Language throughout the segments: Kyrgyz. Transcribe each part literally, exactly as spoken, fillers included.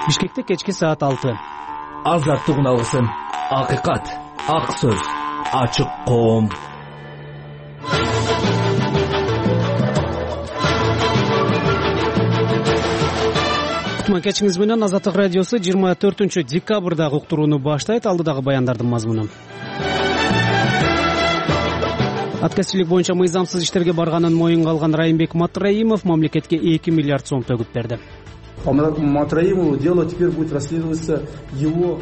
Бишкекте кечки саат алты. Азаттык уналгысын. Акыйкат, ак сөз, ачык коом. Кутман кечиңиз менен Азаттык радиосу жыйырма төртүнчү декабрдагы уктурууну баштайт. Алдыдагы баяндардын мазмуну. Аткезчилик боюнча мыйзамсыз иштерге барганын моюнга алган Райымбек Матраимов мамлекетке эки миллиард сом төгүп берди. Матраимову дело теперь будет расследоваться его.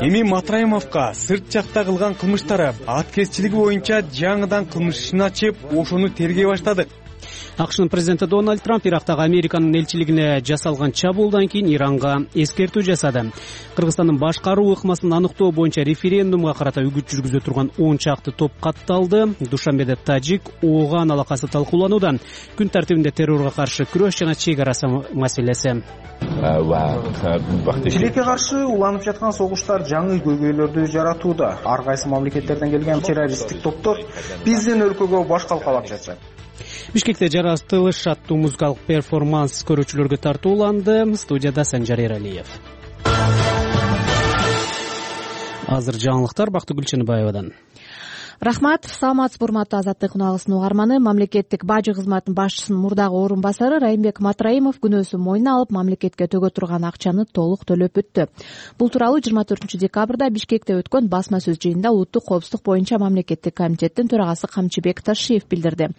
Эми Матраимовго сырт жакта кылган кылмыштары аткезчилиги боюнча жаңыдан кылмыш ишин ачып, ошону тергей баштадык. АКШнын президенти Дональд Трамп Ирактагы Американын элчилигине жасалган чабуулдан кийин Иранга эскертүү жасады. Кыргызстандын башкаруу ыкмасын аныктоо боюнча референдумга карата үгүт жүргүзө турган он чакты топ катталды. Душанбеде Тажик Ооган алакасы талкууланууда. Күн тартибинде террорго каршы күрөш жана чек ара маселеси. Тилекке каршы уланып жаткан согуштар жаңы көйгөйлөрдү жаратууда. Ар кайсы мамлекеттерден келген террористтик топтор биздин өлкөгө баш калкалап жатышат. Бишкекте жаратылыш аттуу музыкалык перформанс көрүүчүлөргө тартууланды. Студияда Санжар Эралиев. Азыр жаңылыктар Бактыгүл Чыныбаевадан. Рахмат, саламатсызбы урматтуу Азаттык уналгысынын угарманы. Мамлекеттик бажы кызматынын башчысынын мурдагы орун басары Райымбек Матраимов күнөөсүн мойнуна алып, мамлекетке төгө турган акчаны толук төлөп бүттү. Бул тууралуу жыйырма төртүнчү декабрда Бишкекте өткөн басма сөз жыйынында Улуттук коопсуздук боюнча мамлекеттик комитеттин төрагасы Камчыбек Ташиев билдирди.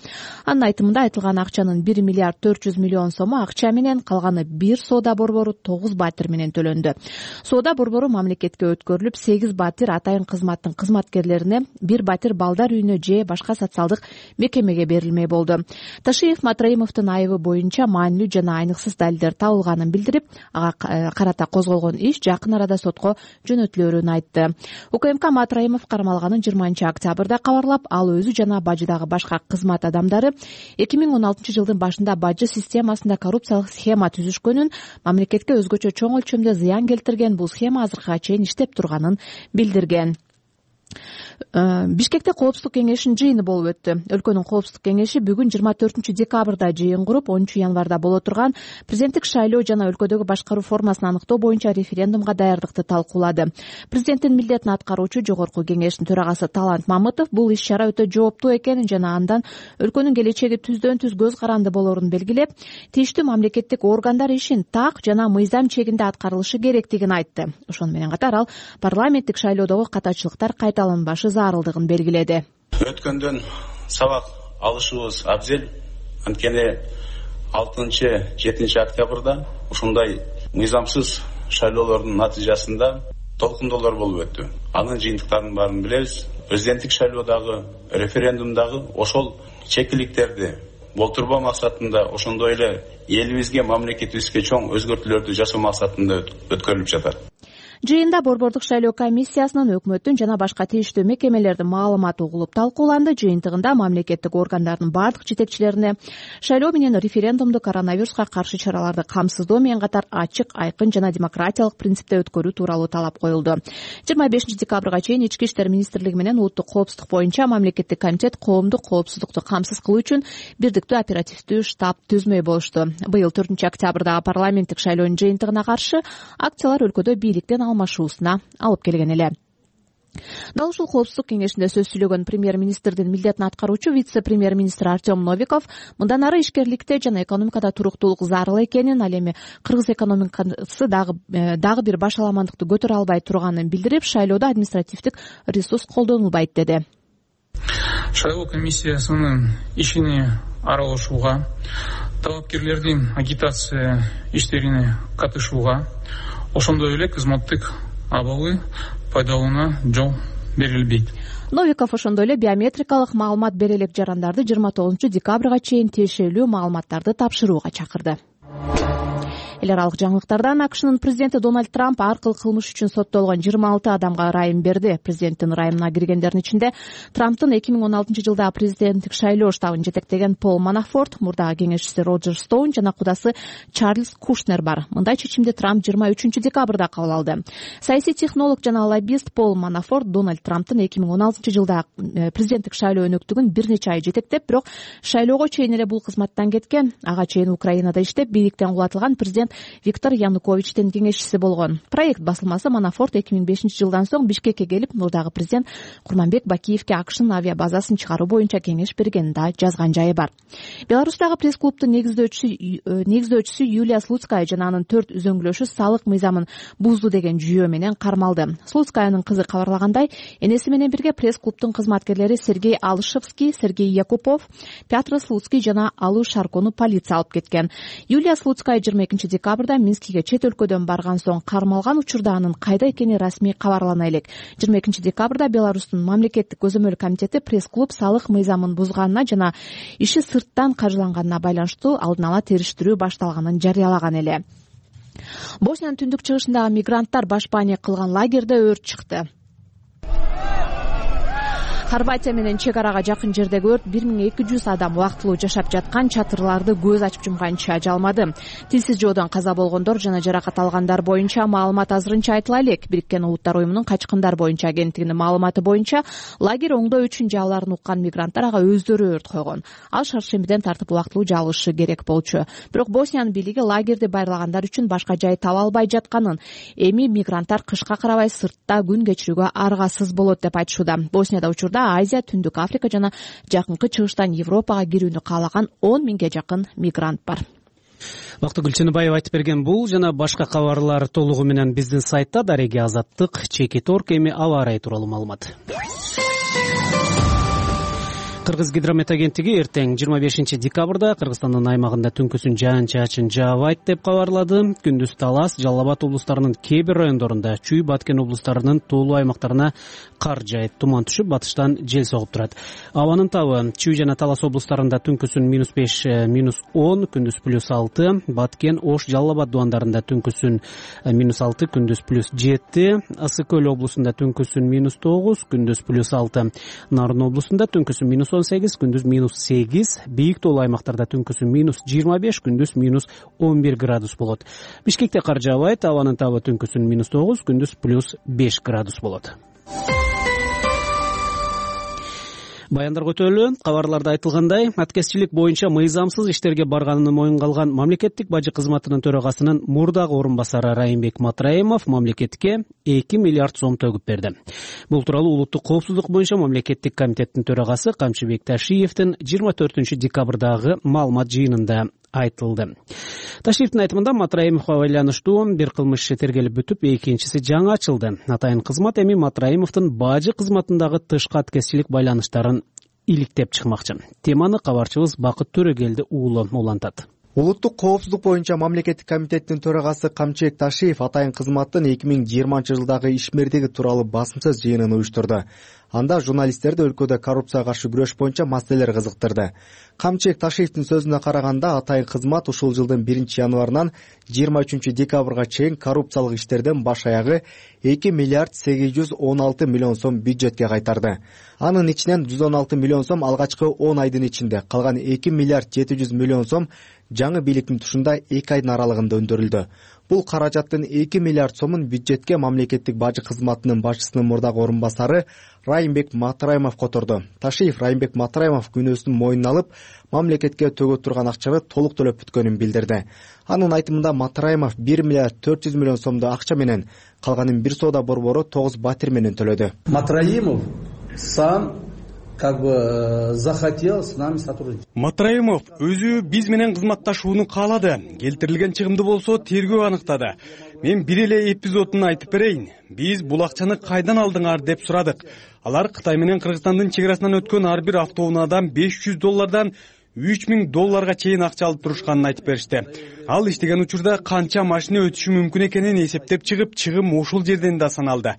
Анын айтымында айтылган акчанын бир миллиард төрт жүз миллион сому акча менен, калганы бир соода борбору тогуз батир менен төлөндү. Соода борбору мамлекетке өткөрүлүп, сегиз батир атайын кызматтын кызматкерлерине, бир батир балдар үйүнө же башка социалдык мекемеге берилмей болду. Ташиев Матраимовдун айыбы боюнча маанилүү жана айныксыз далилдер табылганын билдирип, ага карата козголгон иш жакын арада сотко жөнөтүлөрүн айтты. УКМК Матраимов кармалганын жыйырманчы октябрда кабарлап, ал өзү жана бажыдагы башка кызмат адамдары эки миң он алтынчы жылдын башында бажы системасында коррупциялык схема түзүшкөнүн, мамлекетке өзгөчө чоң өлчөмдө зыян келтирген бул схема азыркыга чейин иштеп турганын билдирген. Бишкекте коопсуздук кеңешинин жыйыны болуп өттү. Өлкөнүн коопсуздук кеңеши бүгүн жыйырма төртүнчү декабрда жыйын куруп, онунчу январда боло турган президенттик шайлоо жана өлкөдөгү башкаруу формасын аныктоо боюнча референдумга даярдыкты талкуулады. Президенттин милдетин аткаруучу жогорку кеңештин төрагасы Талант Мамытов бул иш-чара өтө жооптуу экенин жана андан өлкөнүн келечеги түздөн түз көз каранды болорун белгилеп, тийиштүү мамлекеттик органдар ишин так жана мыйзам чегинде аткарылышы керектигин айтты. Ошону менен катар ал парламенттик шайлоодогу катачылыктар кайталанбашы зарылдыгын белгиледи. Өткөндөн сабак алышыбыз абзел. Анткени алтынчы жетинчи октябрда ушундай мыйзамсыз шайлоолордун натыйжасында толкундоолор болуп өттү. Анын жыйынтыктарын баарын билебиз. Президенттик шайлоодагы, референдумдагы ошол чекиликтерди болтурбоо максатында, ошондой эле элибизге, мамлекетибизге чоң өзгөртүүлөрдү жасоо максатында өткөрүлүп жатат. Жыйында борбордук шайлоо комиссиясынын, өкмөттүн жана башка тийиштүү мекемелердин маалыматы угулуп талкууланды. Жыйынтыгында мамлекеттик органдардын бардык жетекчилерине шайлоо менен референдумду коронавируска каршы чараларды камсыздоо менен катар ачык, айкын жана демократиялык принципте өткөрүү тууралуу талап коюлду. жыйырма бешинчи декабрга чейин Ички иштер министрлиги менен Улуттук коопсуздук боюнча мамлекеттик комитет коомдук коопсуздукту камсыз кылуу үчүн бирдиктүү оперативдүү штаб түзмөй болушту. Быйыл төртүнчү октябрдагы парламенттик шайлоонун жыйынтыгына каршы акциялар өлкөдө бийликтен алмашуусуна алып келген эле. Дал ушул коопсуздук кеңешинде сөз сүйлөгөн премьер-министрдин милдетин аткаруучу вице-премьер-министр Артем Новиков мындан ары ишкерликте жана экономикада туруктуулук зарыл экенин, ал эми кыргыз экономикасы дагы дагы бир башаламандыкты көтөрө албай турганын билдирип, шайлоодо административдик ресурс колдонулбайт деди. Шайлоо комиссиясынын ишине аралашууга, талапкерлердин агитация иштерине катышууга, ошондой эле кызматтык абалы пайдаланууна жол берилбейт. Новиков ошондой эле биометрикалык маалымат бере элек жарандарды жыйырма тогузунчу декабрга чейин тиешелүү маалыматтарды тапшырууга чакырды. Эл аралык жаңылыктардан АКШнын президенти Дональд Трамп аркылуу кылмыш үчүн соттолгон жыйырма алты адамга ырайым берди. Президенттин ырайымына киргендердин ичинде Трамптын эки миң он алтынчы жылда президенттик шайлоо штабын жетектеген Пол Манафорт, мурдагы кеңешчиси Роджер Стоун жана кудасы Чарльз Кушнер бар. Мындай чечимди Трамп жыйырма үчүнчү декабрда кабыл алды. Саясий технолог жана лоббист Пол Манафорт Дональд Трамптын эки миң он алтынчы жылда президенттик шайлоо өнөктүгүн бир нече ай жетектеп, бирок шайлоого чейин эле бул кызматтан кеткен. Ага чейин Украинада иштеп, бийликтен кулатылган президент Виктор Януковичтин кеңешчиси болгон. Проект басылмасы Манафорт эки миң бешинчи жылдан соң Бишкекке келип, мурдагы президент Курманбек Бакиевке АКШнын авиабазасын чыгаруу боюнча кеңеш бергенин да жазган жайы бар. Беларустагы пресс-клубдун негиздөөчүсү негиздөөчүсү Юлия Слуцкая жана анын төрт үзөңгүлөшү салык мыйзамын бузду деген жүйөө менен кармалды. Слуцкаянын кызы кабарлагандай, энеси менен бирге пресс-клубдун кызматкерлери Сергей Алышевский, Сергей Якупов, Петр Слуцкий жана Алуу Шаркону полиция алып кеткен. Юлия Слуцкая жыйырма экинчи декабрда Минскиге чет өлкөдөн барган соң кармалган учурда анын кайда экени расмий кабарлана элек. жыйырма экинчи декабрда Беларустун мамлекеттик көзөмөл комитети пресс-клуб салык мыйзамын бузганына жана иши сырттан каржыланганына байланыштуу алдын ала териштирүү башталганын жарыялаган эле. Босниянын түндүк чыгышындагы мигранттар башпаанияк кылган лагерде өрт чыкты. Хорватия менен чек арага жакын жердеги өрт бир миң эки жүз адам убактылуу жашап жаткан чатырларды көз ачып жумганча жалмады. Тилсиз жоодон каза болгондор жана жаракат алгандар боюнча маалымат азырынча айтыла элек. Бириккен Улуттар уюмунун качкындар боюнча агенттигинин маалыматы боюнча лагерь оңдоо үчүн жааларын уккан мигранттар ага өздөрү өрт койгон. Ал шаршембиден тартып убактылуу жабылышы керек болчу. Бирок Босниянын бийлиги лагерди байырлагандар үчүн башка жай таба албай жатканын, эми мигранттар кышка карабай сыртта күн кечирүүгө аргасыз болот деп айтышууда. Боснияда учурда Азия, Түндүк Африка жана жакынкы чыгыштан Европага кирүүнү каалаган он миңге жакын мигрант бар. Бактыгүл Чыныбаева айтып берген бул жана башка кабарлар толугу менен биздин сайтта. Дареги Азаттык, Чекит Орг, эми аба ырайы тууралуу маалымат. Кыргыз гидромет агенттиги эртең жыйырма бешинчи декабрда Кыргызстандын аймагында түнкүсүн жаан-чачын жаабайт деп кабарлады. Күндүз Талас, Жалал Абад облустарынын кээ бир райондорунда, Чүй, Баткен облустарынын тоолуу аймактарына кар жайып, туман түшүп, батыштан жел согуп турат. Абанын табы Чүй жана Талас облустарында түнкүсүн минус беш, минус он, күндүз плюс алты, Баткен, Ош, Жалал Абад дубандарында түнкүсүн минус алты, күндүз плюс жети, Ысык Көл облусунда түнкүсүн минус тогуз, күндүз плюс алты, Нарын облусунда түнкүсүн минус он сегиз, күндүз минус сегиз, бийик тоолуу аймактарда түнкүсүн минус жыйырма беш, күндүз минус он бир градус болот. Бишкекте кар жаабайт, абанын табы түнкүсүн минус тогуз, күндүз плюс беш градус болот. Баяндарга өтөлү. Кабарларда айтылгандай, аткезчилик боюнча мыйзамсыз иштерге барганын моюнга алган мамлекеттик бажы кызматынын төрагасынын мурдагы орун басары Райымбек Матраимов мамлекетке эки миллиард сом төгүп берди. Бул тууралуу улуттук коопсуздук боюнча мамлекеттик комитеттин төрагасы Камчыбек Ташиевдин жыйырма төртүнчү декабрдагы маалымат жыйынында айтылды. Ташиевдин айтымында Матраимовго байланыштуу бир кылмыш иши тергелип бүтүп, экинчиси жаңы ачылды. Атайын кызмат эми Матраимовдун бажы кызматындагы тышкы аткезчилик байланыштарын иликтеп чыкмакчы. Теманы кабарчыбыз Бакыт Төрөгелди уулу улантат. Улуттук коопсуздук боюнча мамлекеттик комитеттин төрагасы Камчыбек Ташиев атайын кызматтын эки миң жыйырманчы жылдагы ишмердиги тууралуу басымсыз жыйынын уюштурду. Анда журналисттерди өлкөдө коррупцияга каршы күрөш боюнча маселелер кызыктырды. Камчыбек Ташиевдин сөзүнө караганда, атайын кызмат ушул жылдын биринчи январынан жыйырма үчүнчү декабрга чейин коррупциялык иштерден баш аягы эки миллиард сегиз жүз он алты миллион сом бюджетке кайтарды. Анын ичинен жүз он алты миллион сом алгачкы он айдын ичинде, калган эки миллиард жети жүз миллион сом жаңы бийликтин тушунда эки айдын аралыгында өндүрүлдү. Бул каражаттын эки миллиард сомун бюджетке мамлекеттик бажы кызматынын башчысынын мурдагы орун басары Райымбек Матраимов которду. Ташиев Райымбек Матраимов күнөөсүн мойнуна алып, мамлекетке төгө турган акчаны толук төлөп бүткөнүн билдирди. Анын айтымында Матраимов бир миллиард төрт жүз миллион сомду акча менен, калганын бир соода борбору тогуз батир менен төлөдү. Матраимов сам как бы захотел с нами сотрудничать. Матраимов өзү биз менен кызматташууну каалады. Келтирилген чыгымды болсо тергөө аныктады. Мен бир эле эпизодун айтып берейин. Биз бул акчаны кайдан алдыңар деп сурадык. Алар Кытай менен Кыргызстандын чек арасынан өткөн ар бир автоунаадан беш жүз доллардан үч миң долларга чейин акча алып турушканын айтып беришти. Ал иштеген учурда канча машина өтүшү мүмкүн экенин эсептеп чыгып, чыгым ушул жерден да саналды.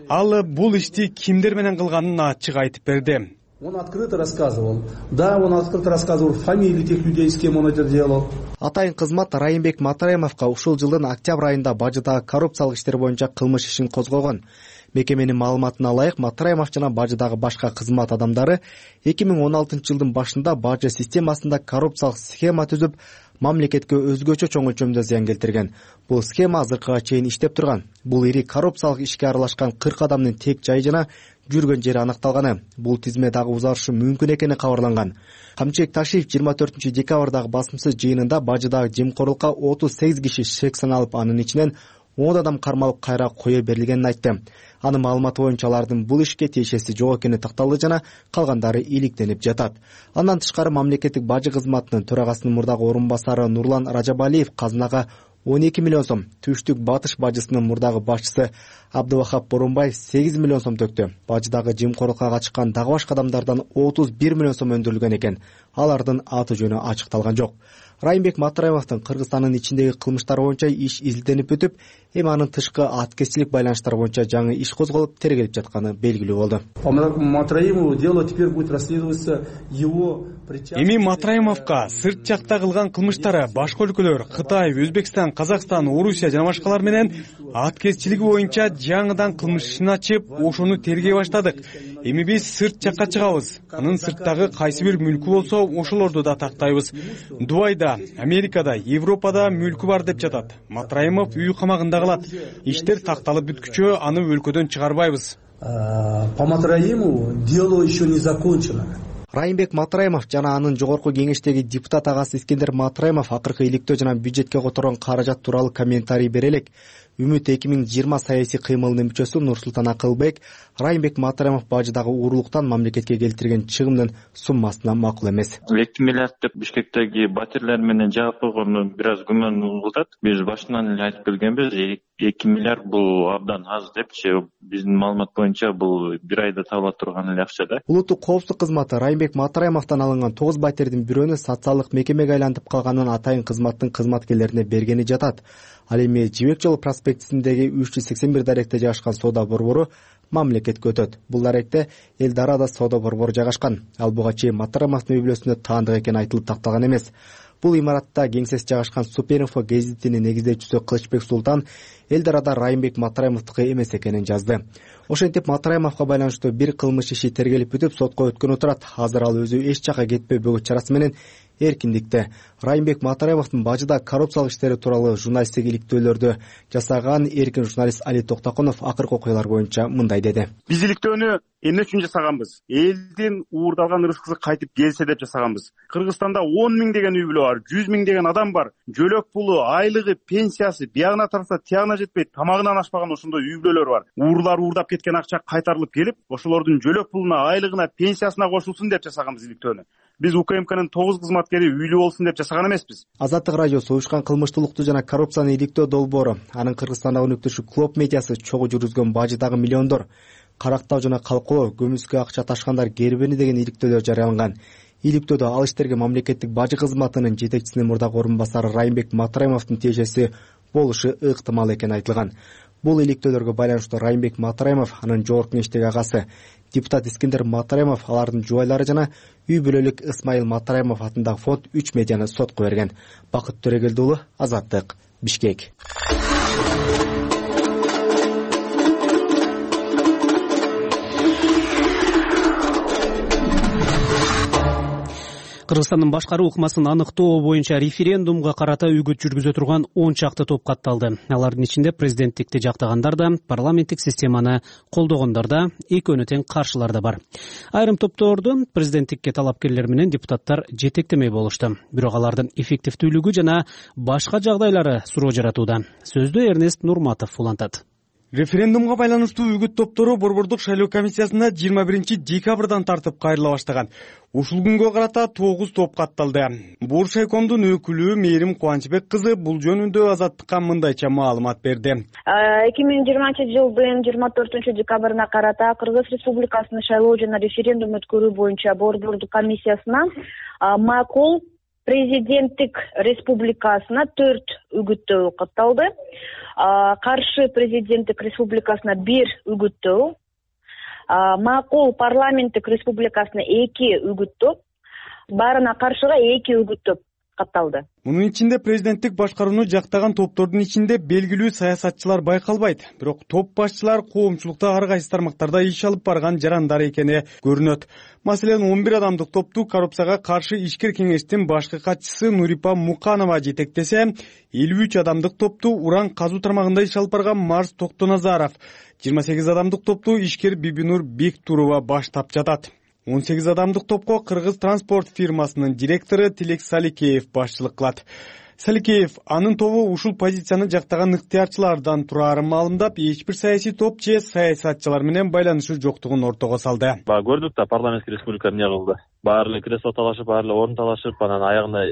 Ал бул ишти кимдер менен кылганын ачык айтып берди. Он открыто рассказывал. Да, он открыто рассказывал фамилии тех людей, с кем он это делал. Атайын кызмат Райымбек Матраимовго ушул жылдын октябрь айында бажыдагы коррупциялык иштер боюнча кылмыш ишин козгогон. Мекеменин маалыматына ылайык, Матраимов жана бажыдагы башка кызмат адамдары эки миң он алтынчы жылдын башында бажы системасында коррупциялык схема түзүп, мамлекетке өзгөчө чоң өлчөмдө зыян келтирген. Бул схема азыркыга чейин иштеп турган. Бул ири коррупциялык ишке аралашкан кырк адамдын тек жайы жана жүргөн жери аныкталганы. Бул тизме дагы узарышы мүмкүн экени кабарланган. Камчыбек Ташиев жыйырма төртүнчү декабрдагы басымсыз жыйынында бажыдагы жемкорлукка отуз сегиз киши шек саналып, анын ичинен он адам кармалып кайра кое берилгенин айтты. Анын маалыматы боюнча алардын бул ишке тиешеси жок экени такталды жана калгандары иликтенип жатат. Андан тышкары мамлекеттик бажы кызматынын төрагасынын мурдагы орун басары Нурлан Ражабалиев казынага он эки миллион сом, Түштүк Батыш бажысынын мурдагы башчысы Абдывахап Боронбаев сегиз миллион сом төктү. Бажыдагы жемкорлукка катышкан дагы башка адамдардан отуз бир миллион сом өндүрүлгөн экен. Алардын аты жөнү ачыкталган жок. Райымбек Матраимовдун Кыргызстандын ичиндеги кылмыштары боюнча иш изилденип өтүп, эми анын тышкы аткезчилик байланыштары боюнча жаңы иш козголуп тергелип жатканы белгилүү болду. Матраимову дело теперь будет расследоваться его причастность. Эми Матраимовго сырт жакта кылган кылмыштары башка өлкөлөр Кытай, Өзбекстан, Казакстан, Орусия жана башкалар менен аткезчилиги боюнча жаңыдан кылмыш ишин ачып, ошону тергей баштадык. Эми биз сырт жакка чыгабыз. Анын сырттагы кайсы бир мүлкү болсо, ошолорду да тактайбыз. Дубайда, Америкада, Европада мүлкү бар деп жатат. Матраимов үй камагында калат. Иштер такталып бүткүчө аны өлкөдөн чыгарбайбыз. По Матраимову дело еще не закончено. Райымбек Матраимов жана анын жогорку кеңештеги депутат агасы Искендер Матраимов акыркы иликтөө жана бюджетке которгон каражат тууралуу комментарий бере элек. Үмүт эки миң жыйырма саясий кыймылынын мүчөсү Нурсултан Акылбек Райымбек Матраимов бажыдагы уурулуктан мамлекетке келтирген чыгымдын суммасына макул эмес. эки миллиард деп Бишкектеги батирлер менен жаап койгону бир аз күмөн угулат. Биз башынан эле айтып келгенбиз, эки миллиард бул абдан аз депчи. Биздин маалымат боюнча бул бир айда табыла турган эле акча да. Улуттук коопсуздук кызматы Райымбек Матраимовдон алынган тогуз батирдин бирөөнү социалдык мекемеге айлантып калганын атайын кызматтын кызматкерлерине бергени жатат. Ал эми Жибек жолу проспектисиндеги үч жүз сексен бир даректе жайгашкан соода борбору мамлекетке өтөт. Бул даректе Элдарада соода борбору жайгашкан. Ал буга чейин Матраимовдун үй бүлөсүндө таандык экени айтылып такталган эмес. Бул имаратта кеңсеси жайгашкан Суперинфо гезитинин негиздөөчүсү Кылычбек Султан Элдарада Райымбек Матраимовдуку эмес экенин жазды. Ошентип Матраимовго байланыштуу бир кылмыш иши тергелип бүтүп сотко өткөнү турат. Азыр ал өзү эч жакка кетпей бөгөт чарасы менен эркиндикте. Райымбек Матраимовдун бажыда коррупциялык иштери тууралуу журналисттик иликтөөлөрдү жасаган эркин журналист Али Токтокунов акыркы окуялар боюнча мындай деди. Биз иликтөөнү эмне үчүн жасаганбыз? Элдин уурдалган ырыскысы кайтып келсе деп жасаганбыз. Кыргызстанда он миң деген үй бүлө бар, жүз миң деген адам бар. Жөлөк пулу, айлыгы, пенсиясы биягына тарса тиягына жетпей, тамагынан ашпаган ошондой үй бүлөлөр бар. Уурлар уурдап кеткен акча кайтарылып келип, ошолордун жөлөк пулуна, айлыгына, пенсиясына кошулсун деп жасаганбыз иликтөөнү. Биз УКМКнын тогуз кызматкери үйлүү болсун деп жасаган эмеспиз. Азаттык радиосу уюшкан кылмыштуулукту жана коррупцияны иликтөө долбоору, анын Кыргызстандагы өнөктөшү Клоп медиасы чогуу жүргүзгөн бажыдагы миллиондор карактоо жана калкулоо, көмүскө акча ташкандар кербени деген иликтөөлөр жарыяланган. Иликтөөдө ал иштерге мамлекеттик бажы кызматынын жетекчисинин мурдагы орун басары Райымбек Матраимовдун тиешеси болушу ыктымал экени айтылган. Бул иликтөөлөргө байланыштуу Райымбек Матраимов, анын жогорку кеңештеги агасы депутат Искендер Матраимов, алардын жубайлары жана үй бүлөлүк Исмайыл Матраимов атындагы фонд үч медианы сотко берген. Бакыт Төрөгелди уулу, Азаттык, Бишкек. Кыргызстандын башкаруу ыкмасын аныктоо боюнча референдумга карата үгүт жүргүзө турган он чакты топ катталды. Алардын ичинде президенттикти жактагандар да, парламенттик системаны колдогондор да, экөөнө тең каршылар да бар. Айрым топторду президенттикке талапкерлер менен депутаттар жетектемей болушту. Бирок алардын эффективдүүлүгү жана башка жагдайлары суроо жаратууда. Сөздү Эрнест Нурматов улантат. Референдумга байланыштуу үгүт топтору Борбордук шайлоо комиссиясына жыйырма биринчи декабрдан тартып кайрыла баштаган. Ушул күнгө карата тогуз топ катталды. Буршайкомдун өкүлү Мээрим Кубанычбек кызы бул жөнүндө Азаттыкка мындайча маалымат берди. эки миң жыйырманчы жылдын жыйырма төртүнчү декабрына карата Кыргыз Республикасынын шайлоо жана референдум өткөрүү боюнча Борбордук комиссиясына макул президенттик республикасына төрт үгүттөө катталды. Каршы президенттик республикасына бир үгүттөө, макул парламенттик республикасына эки үгүттөө, баарына каршыга эки үгүттөө катталды. Мунун ичинде президенттик башкарууну жактаган топтордун ичинде белгилүү саясатчылар байкалбайт, бирок топ башчылар коомчулукта ар кайсы тармактарда иш алып барган жарандар экени көрүнөт. Маселен, он бир адамдык топту коррупцияга каршы ишкер кеңештин башкы катчысы Нурипа Муканова жетектесе, элүү үч адамдык топту уран казуу тармагында иш алып барган Марс Токтоназаров, жыйырма сегиз адамдык топту ишкер Бибинур Бектурова баштап жатат. он сегиз адамдык топко кыргыз транспорт фирмасынын директору Тилек Саликеев башчылык кылат. Саликеев анын тобу ушул позицияны жактаган ыктыярчылардан тураарын маалымдап, эч бир саясий топ же саясатчылар менен байланышы жоктугун ортого салды. Баа көрдүк да, парламенттик республика эмне кылды. Баары эле кресло талашып, баары эле орун талашып, анан аягында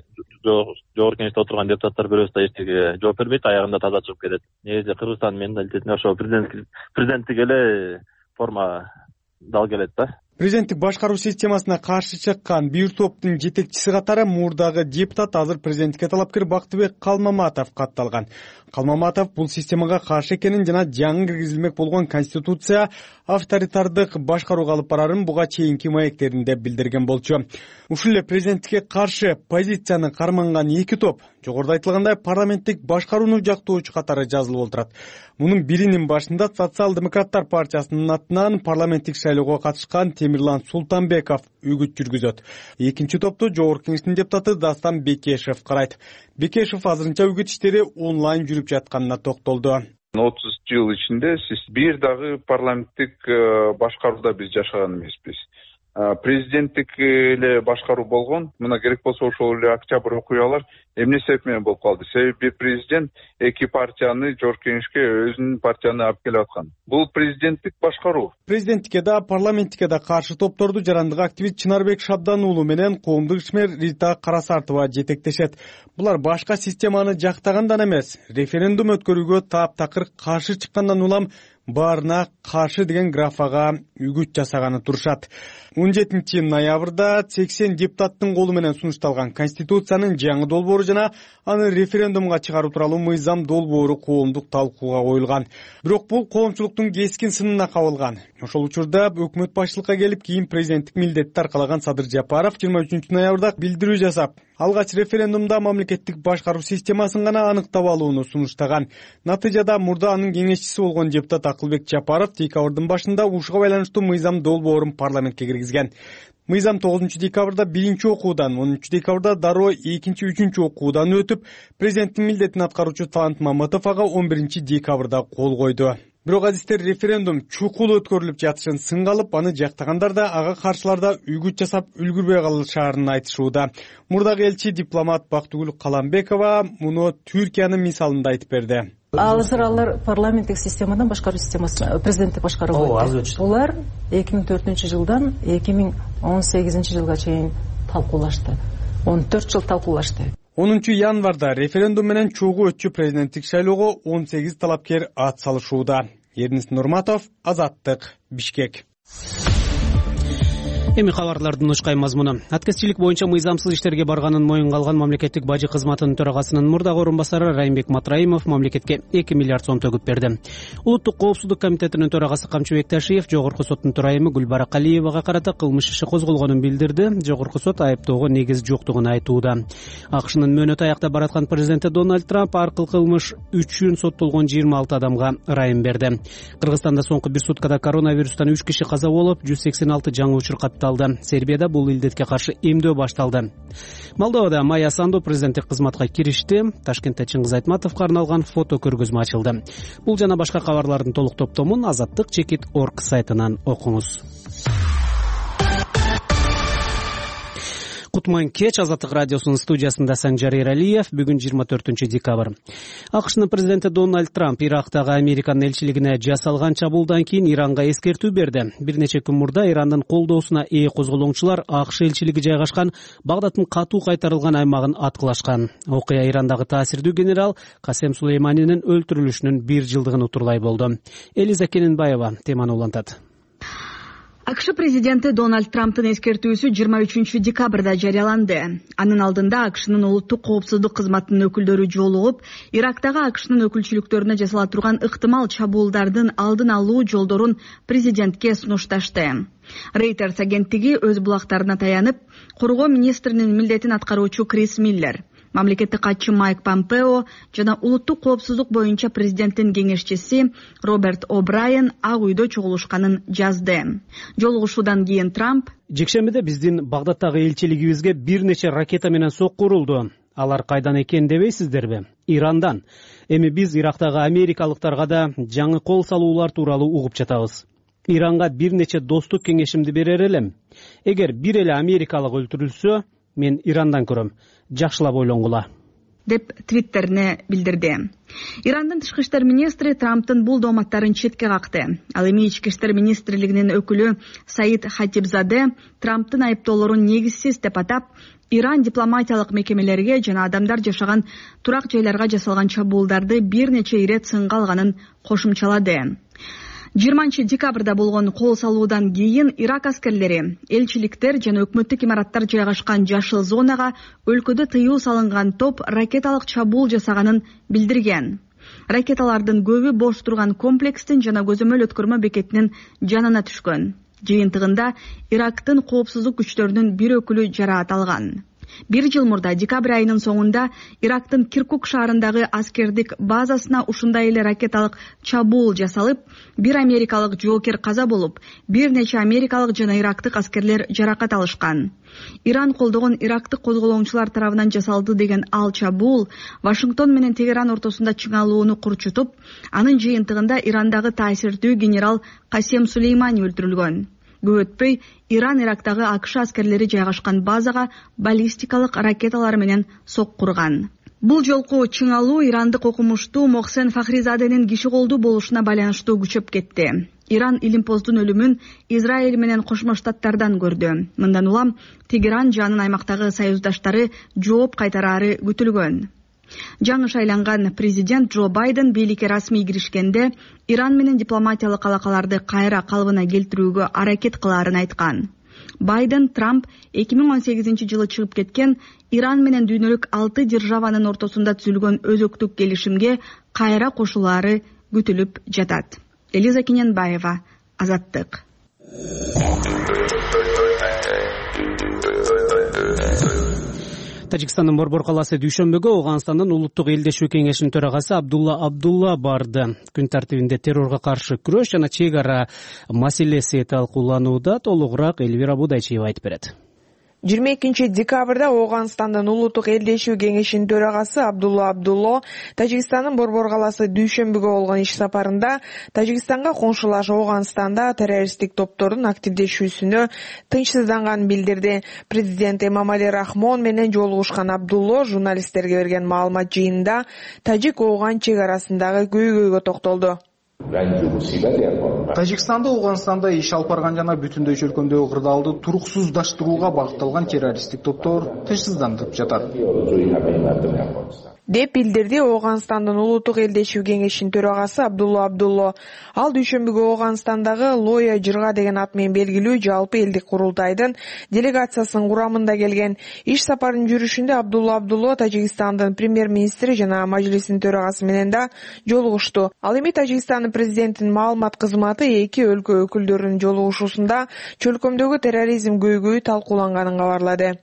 жогорку кеңеште отурган депутаттар бирөөсү да эчтеге жооп бербейт, аягында таза чыгып кетет. Негизи Кыргызстандын менталитетине ошо президенттик эле форма дал келет да. Президенттик башкаруу системасына каршы чыккан бир топтун жетекчиси катары мурдагы депутат, азыр президенттикке талапкер Бактыбек Калмаматов катталган. Калмаматов бул системага каршы экенин жана жаңы киргизилмек болгон конституция авторитардык башкарууга алып барарын буга чейинки маектеринде билдирген болчу. Ушул эле президенттикке каршы позицияны карманган эки топ жогоруда айтылгандай парламенттик башкарууну жактоочу катары жазылып отурат. Мунун биринин башында Социал-демократтар партиясынын атынан парламенттик шайлоого катышкан Темирлан Султанбеков үгүт жүргүзөт. Экинчи топту жогорку кеңештин депутаты Дастан Бекешев карайт. Бекешев азырынча үгүт иштери онлайн жүрүп жатканына токтолду. отуз жыл ичинде сиз бир дагы парламенттик башкарууда биз жашаган эмеспиз. Президенттик эле башкаруу болгон, мына керек болсо ошол эле октябрь окуялар эмне себеп менен болуп калды? Себеби президент эки партияны жогорку кеңешке өзүнүн партияны алып келип аткан. Бул президенттик башкаруу. Президенттикке да, парламенттикке да каршы топторду жарандык активист Чынарбек Шабдан уулу менен коомдук ишмер Рита Карасартова жетектешет. Булар башка системаны жактагандан эмес, референдум өткөрүүгө таптакыр каршы чыккандан улам баарына каршы деген графага үгүт жасаганы турушат. он жетинчи ноябрда сексен депутаттын колу менен сунушталган Конституциянын жаңы долбоору жана аны референдумга чыгаруу тууралуу мыйзам долбоору коомдук талкууга коюлган. Бирок бул коомчулуктун кескин сынына кабылган. Ошол учурда өкмөт башчылыкка келип, кийин президенттик милдетти аркалаган Садыр Жапаров жыйырма үчүнчү ноябрда билдирүү жасап, алгач референдумда мамлекеттик башкаруу системасын гана аныктап алууну сунуштаган. Натыйжада мурда анын кеңешчиси болгон депутат Акылбек Жапаров декабрдын башында ушуга байланыштуу мыйзам долбоорун парламентке киргизген. Мыйзам тогузунчу декабрда биринчи окуудан, онунчу декабрда дароо экинчи, үчүнчү окуудан өтүп, президенттин милдетин аткаруучу Талант Мамытов ага он биринчи декабрда кол койду. Бирок азиздер, референдум чукул өткөрүлүп жатышын сынга алып, аны жактагандар да, ага каршылар да үгүт жасап үлгүрбөй калышаарын айтышууда. Мурдагы элчи дипломат Бактыгүл Каламбекова муну Түркиянын мисалында айтып берди. Азыр алар парламенттик системадан башкаруу системасына, президенттик башкарууга өтүп. Улар эки миң төртүнчү жылдан эки миң он сегизинчи жылга чейин талкуулашты. он төрт жыл талкуулашты. онунчу январда референдум менен чогуу өтчү президенттик шайлоого он сегиз талапкер ат салышууда. Эрнис Нурматов, Азаттык, Бишкек. Эми кабарлардын ушкай мазмуну. Аткезчилик боюнча мыйзамсыз иштерге барганын моюнга алган мамлекеттик бажы кызматынын төрагасынын мурдагы орун басары Райымбек Матраимов мамлекетке эки миллиард сом төгүп берди. Улуттук коопсуздук комитетинин төрагасы Камчыбек Ташиев Жогорку соттун төрайымы Гүлбара Калиевага карата кылмыш иши козголгонун билдирди. Жогорку сот айыптоого негиз жоктугун айтууда. АКШнын мөөнөтү аяктап бараткан президенти Дональд Трамп аркыл кылмыш үчүн соттолгон жыйырма алты адамга ырайым берди. Кыргызстанда соңку бир суткада коронавирустан үч киши каза болуп, жүз сексен алты жаңы учур катталды. Сербияда бул илдетке каршы эмдөө башталды. Молдовада Майя Санду президенттик кызматка киришти. Ташкентте Чыңгыз Айтматовго арналган фото көргөзмө ачылды. Бул жана башка кабарлардын толук топтомун азаттык чекит точка орг сайтынан окуңуз. Кутман кеч, Азаттык радиосунун студиясында Санжар Эралиев. Бүгүн жыйырма төртүнчү декабрь. АКШнын президенти Дональд Трамп Ирактагы Американын элчилигине жасалган чабуулдан кийин Иранга эскертүү берди. Бир нече күн мурда Ирандын колдоосуна ээ козголоңчулар АКШ элчилиги жайгашкан Багдадтын катуу кайтарылган аймагын аткылашкан. Окуя Ирандагы таасирдүү генерал Касем Сулейманинин өлтүрүлүшүнүн бир жылдыгын утурлай болду. Элиза Кененбаева теманы улантат. АКШ президенти Дональд Трамптын эскертүүсү жыйырма үчүнчү декабрда жарыяланды. Анын алдында АКШнын улуттук коопсуздук кызматынын өкүлдөрү жолугуп, Ирактагы АКШнын өкүлчүлүктөрүнө жасала турган ыктымал чабуулдардын алдын алуу жолдорун президентке сунушташты. Reuters агенттиги өз булактарына таянып, коргоо министринин милдетин аткаруучу Крис Миллер мамлекеттик катчы Майк Помпео жана улуттук коопсуздук боюнча президенттин кеңешчиси Роберт О'Брайен Ак үйдө чогулушканын жазды. Жолугушуудан кийин Трамп жекшембиде биздин Багдадтагы элчилигибизге бир нече ракета менен сокку урулду. Алар кайдан экенин дебейсиздерби? Ирандан. Эми биз Ирактагы америкалыктарга да жаңы кол салуулар тууралуу угуп жатабыз. Иранга бир нече достук кеңешимди берер элем. Эгер бир эле америкалык өлтүрүлсө, мен Ирандан көрөм. Жакшылап ойлонгула, деп твиттерине билдирди. Ирандын тышкы иштер министри Трамптын бул дооматтарын четке какты. Ал эми ички иштер министрлигинин өкүлү Саид Хатибзаде Трамптын айыптоолорун негизсиз деп атап, Иран дипломатиялык мекемелерге жана адамдар жашаган турак жайларга жасалган чабуулдарды бир нече ирет сынга алганын кошумчалады. жыйырманчы декабрда болгон кол салуудан кийин Ирак аскерлери элчиликтер жана өкмөттүк имараттар жайгашкан жашыл зонага өлкөдө тыюу салынган топ ракеталык чабуул жасаганын билдирген. Ракеталардын көбү бош турган комплекстин жана көзөмөл өткөрмө бекетинин жанына түшкөн. Жыйынтыгында Ирактын коопсуздук күчтөрүнүн бир өкүлү жараат алган. Бир жыл мурда декабрь айынын соңунда Ирактын Киркук шаарындагы аскердик базасына ушундай эле ракеталык чабуул жасалып, бир америкалык жоокер каза болуп, бир нече америкалык жана ирактык аскерлер жаракат алышкан. Иран колдогон ирактык козголоңчулар тарабынан жасалды деген ал чабуул Вашингтон менен Тегеран ортосунда чыңалууну курчутуп, анын жыйынтыгында Ирандагы таасирдүү генерал Касем Сулеймани өлтүрүлгөн. Көп өтпөй Иран Ирактагы АКШ аскерлери жайгашкан базага баллистикалык ракеталар менен соккурган. Бул жолку чыңалуу ирандык окумуштуу Мохсен Фахризаденин киши колдуу болушуна байланыштуу күчөп кетти. Иран Илимпоздун өлүмүн Израиль менен Кошмо Штаттардан көрдү. Мындан улам Тегеран жанын аймактагы союздаштары жооп кайтарары күтүлгөн. Жаңы шайланган президент Джо Байден бийликке расмий киришкенде Иран менен дипломатиялык алакаларды кайра калыбына келтирүүгө аракет кылаарын айткан. Байден Трамп эки миң он сегизинчи жылы чыгып кеткен Иран менен дүйнөлүк алты державанын ортосунда түзүлгөн өзөктүк келишимге кайра кошулаары күтүлүп жатат. Элиза Кененбаева, Азаттык. Тажикстандын Борбор калаасы дүйшөмбүгө Ооганстандын улуттук элдешүү кеңешинин төрагасы Абдулла Абдулла барды. Күн тартибинде террорго каршы күрөш жана чек ара маселеси талкууланууда. Толугураак Элвира Будайчиева айтып берет. жыйырма экинчи декабрда Ооганстандын улуттук элдешүү кеңешинин төрагасы Абдулла Абдулло Тажикстандын Борбор калаасы дүйшөмбүгө болгон иш сапарында Тажикстанга коңшулаш Ооганстанда террористтик топтордун активдешүүсүнө тынчсызданганын билдирди. Президент Эмомали Рахмон менен жолугушкан Абдулло журналисттерге берген маалымат жыйынында Тажик-Ооган чек арасындагы көйгөйгө токтолду. Тажикстанда Ооганстанда иш алып барган жана бүтүндөй чөлкөмдөгү кырдаалды туруксуздаштырууга багытталган террористтик топтор тынчсыздандырып жатат, деп билдирди Ооганстандын улуттук элдешүү кеңешинин төрагасы Абдулла Абдулло. Ал дүйшөмбүгө Ооганстандагы Лоя Жырга деген ат менен белгилүү жалпы элдик курултайдын делегациясынын курамында келген. Иш сапарынын жүрүшүндө Абдулла Абдулло Тажикстандын премьер-министри жана мажлисинин төрагасы менен да жолугушту. Ал эми Тажикстандын президентинин маалымат кызматы эки өлкө өкүлдөрүнүн жолугушуусунда чөлкөмдөгү терроризм көйгөйү талкууланганын кабарлады.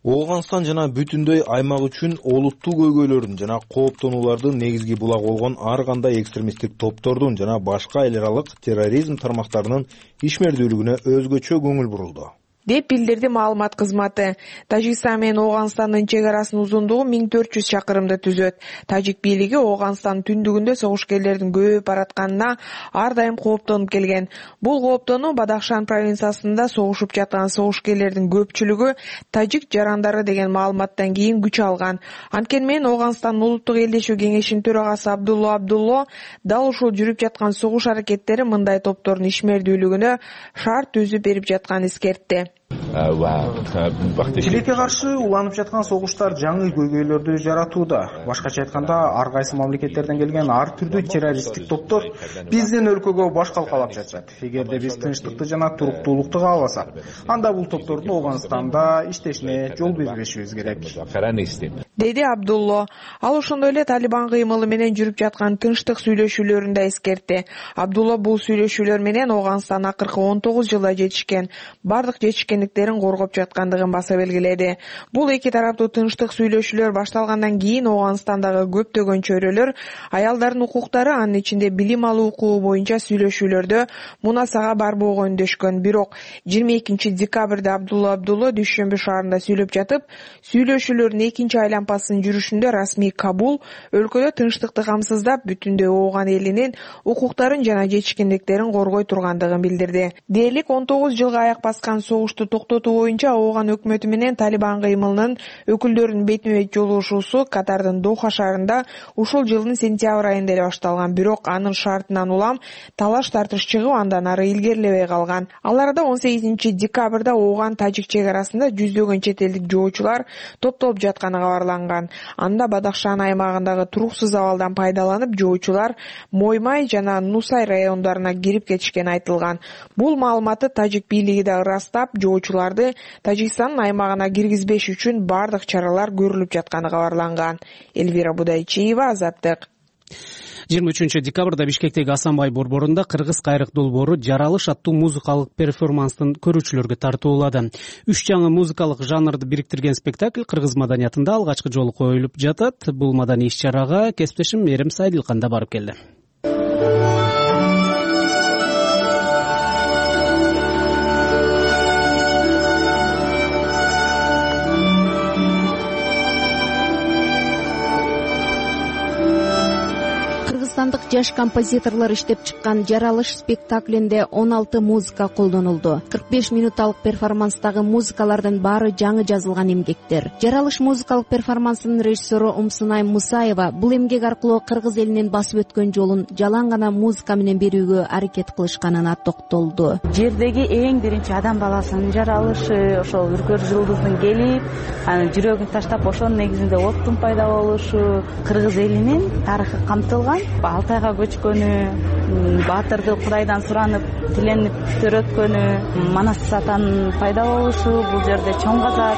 Ооганстан жана бүтүндөй аймак үчүн олуттуу көйгөйлөрдүн жана кооптонуулардын негизги булагы болгон ар кандай экстремисттик топтордун жана башка эл аралык терроризм тармактарынын ишмердүүлүгүнө өзгөчө көңүл бурулду, деп билдирди маалымат кызматы. Тажикстан менен Ооганстандын чек арасынын узундугу миң төрт жүз чакырымды түзөт. Тажик бийлиги Ооганстандын түндүгүндө согушкерлердин көбөйүп баратканына ар дайым кооптонуп келген. Бул кооптонуу Бадахшан провинциясында согушуп жаткан согушкерлердин көпчүлүгү тажик жарандары деген маалыматтан кийин күч алган. Анткени менен Ооганстандын улуттук элдешүү кеңешинин төрагасы Абдулла Абдулло дал ушул жүрүп жаткан согуш аракеттери мындай топтордун ишмердүүлүгүнө шарт түзүп берип жатканын эскертти. Тилекке каршы уланып жаткан согуштар жаңы көйгөйлөрдү жаратууда. Башкача айтканда, ар кайсы мамлекеттерден келген ар түрдүү террористтик топтор биздин өлкөгө баш калкалап жатат. Эгерде биз тынчтыкты жана туруктуулукту кааласак, анда бул топтордун Ооганстанда иштешине жол бербешибиз керек, деди Абдулло. Ал ошондой эле Талибан кыймылы менен жүрүп жаткан тынчтык сүйлөшүүлөрүн да эскертти. Абдулло бул сүйлөшүүлөр менен Ооганстан акыркы он тогуз жылда жетишкен, бардык жетишкен чечкиндиктерин коргоп жаткандыгын баса белгиледи. Бул эки тараптуу тынчтык сүйлөшүүлөр башталгандан кийин Ооганстандагы көптөгөн чөйрөлөр аялдардын укуктары, анын ичинде билим алуу укугу боюнча сүйлөшүүлөрдө мунасага барбоого үндөшкөн. Бирок жыйырма экинчи декабрда Абдулла Абдулла Дүйшөмбү шаарында сүйлөп жатып, сүйлөшүүлөрдүн экинчи айлампасынын жүрүшүндө расмий Кабул өлкөдө тынчтыкты камсыздап, бүтүндөй Ооган элинин укуктарын жана чечкиндиктерин коргой тургандыгын билдирди. Дээрлик он тогуз жылга аяк баскан согушту токтотуу боюнча Ооган өкмөтү менен Талибан кыймылынын өкүлдөрүнүн бетме-бет жолугушуусу Катардын Доха шаарында ушул жылдын сентябрь айында эле башталган. Бирок анын шартынан улам талаш тартыш чыгып, андан ары илгерилебей калган. Ал арада он сегизинчи декабрда Ооган тажик чек арасында жүздөгөн чет элдик жоочулар топтолуп жатканы кабарланган. Анда Бадахшан аймагындагы туруксуз абалдан пайдаланып, жоочулар Моймай жана Нусай райондоруна кирип кетишкени айтылган. Бул маалыматты тажик бийлиги да ырастап, жоочуларды Тажикстандын аймагына киргизбеш үчүн бардык чаралар көрүлүп жатканы кабарланган. Элвира Будайчиева, Азаттык. жыйырма үчүнчү декабрда Бишкектеги Асанбай борборунда Кыргыз кайрык долбоору Жаралыш аттуу музыкалык перформанстын көрүүчүлөргө тартуулады. Үч жаңы музыкалык жанрды бириктирген спектакль кыргыз маданиятында алгачкы жолу коюлуп жатат. Бул маданий иш-чарага кесиптешим Мерим Сайдилкан да барып келди. Кыргызстандык жаш композиторлор иштеп чыккан Жаралыш спектаклинде он алты музыка колдонулду. кырк беш минуталык перформанстагы музыкалардын баары жаңы жазылган эмгектер. Жаралыш музыкалык перформансынын режиссеру Умсунай Мусаева бул эмгек аркылуу кыргыз элинин басып өткөн жолун жалаң гана музыка менен берүүгө аракет кылышканына токтолду. Жердеги эң биринчи адам баласынын жаралышы, ошол үркөр жылдыздын келип, анын жүрөгүн таштап, ошонун негизинде оттун пайда болушу, кыргыз элинин тарыхы камтылган. Алтайга көчкөнү, баатырды Кудайдан суранып, тиленип төрөткөнү, Манас атанын пайда болушу, бул жерде чоң казак.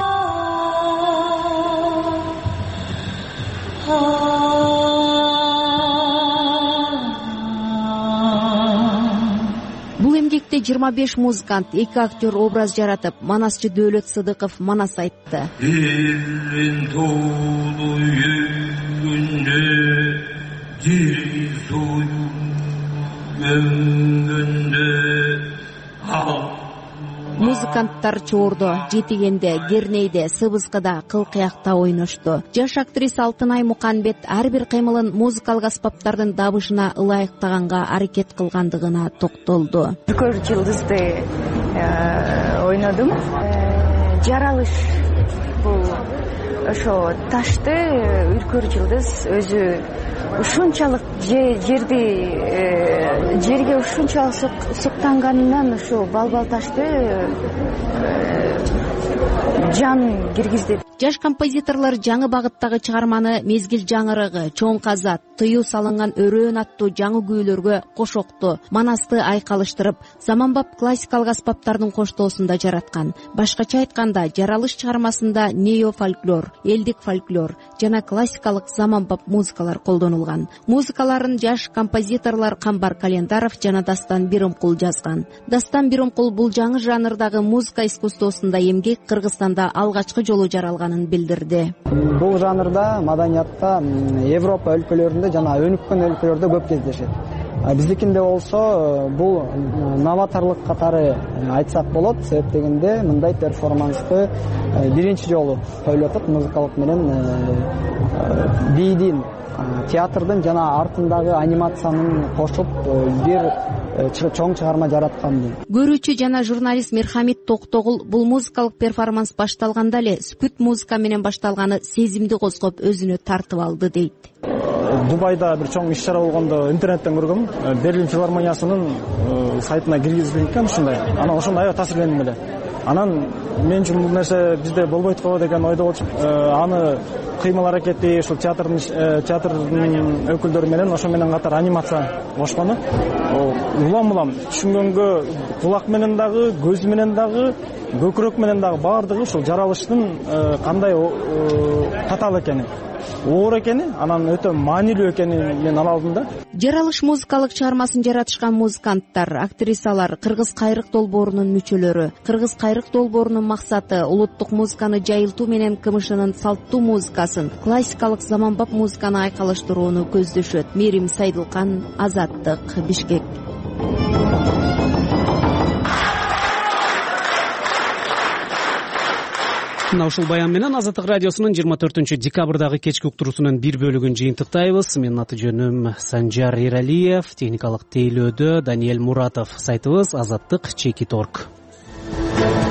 Бул эмгекте жыйырма беш музыкант, эки актер образ жаратып, манасчы Дөөлөт Сыдыков манас айтты. Элин тоолуу үйгүндө жер союп өнгөндө Музыканттар чоордо, жетигенде, кернейде, сыбызгыда, кыл-кыякта ойношту. Жаш актриса Алтынай Муканбет ар бир кыймылын музыкалык аспаптардын дабышына ылайыктаганга аракет кылгандыгына токтолду. Үркөр жылдызды ойнодум. Жаралыш бул ошо ташты үркөр жылдыз өзү ушунчалык жерди жерге ушунчалык суктанганынан ошо балбал ташты жан киргизди. Жаш композиторлор жаңы багыттагы чыгарманы Мезгил жаңырыгы, Чоң казат, Тыюу салынган өрөөн аттуу жаңы күүлөргө кошокту, манасты айкалыштырып, заманбап классикалык аспаптардын коштоосунда жараткан. Башкача айтканда, Жаралыш чыгармасында нео-фольклор, элдик фольклор жана классикалык заманбап музыкалар колдонулган. Музыкаларын жаш композиторлор Камбар Календаров жана Дастан Биримкул жазган. Дастан Биримкул бул жаңы жанрдагы музыка искусствосунда эмгек Кыргызстанда алгачкы жолу жаралганын билдирди. Бул жанрда маданиятта Европа өлкөлөрүндө жана өнүккөн өлкөлөрдө көп кездешет. Биздикинде болсо бул новаторлук катары айтсак болот. Себеп дегенде мындай перформансты биринчи жолу коюлуп атат. Музыкалык менен бийдин, театрдын жана артындагы анимациянын кошуп бир чоң чыгарма жараткан. Көрүүчү жана журналист Мерхамит Токтогул бул музыкалык перформанс башталганда эле скут музыка менен башталганы сезимди козгоп өзүнө тартып алды дейт. Дубайда бир чоң иш-чара болгондо интернеттен көргөм. Берлин филармониясынын сайтына киргизилген экен ушундай. Анан ошондо аябай таасирлендим эле. Анан мен үчүн бул нерсе бизде болбойт го деген ойдо болчу. Аны кыймыл аракети ушул театрдын театрдын өкүлдөрү менен ошо менен катар анимация кошкону улам-улам түшүнгөнгө кулак менен дагы, көз менен дагы, көкүрөк менен дагы баардыгы ушул жаралыштын кандай татаал экени, оор экени, анан өтө маанилүү экенин мен ала алдым да. Жаралыш музыкалык чыгармасын жаратышкан музыканттар, актрисалар, Кыргыз кайрык долбоорунун мүчөлөрү. Кыргыз кайрык долбоорунун максаты улуттук музыканы жайылтуу менен КМШнын салттуу музыкасын, классикалык заманбап музыканы айкалыштырууну көздөшөт. Мээрим Сайдылкан, Азаттык, Бишкек. Мына ушул баян менен Азаттык радиосунун жыйырма төртүнчү декабрдагы кечки уктуруусунун бир бөлүгүн жыйынтыктайбыз. Менин аты жөнүм Санжар Эралиев, техникалык тейлөөдө Даниэль Муратов. Сайтыбыз азаттык чекит точка орг.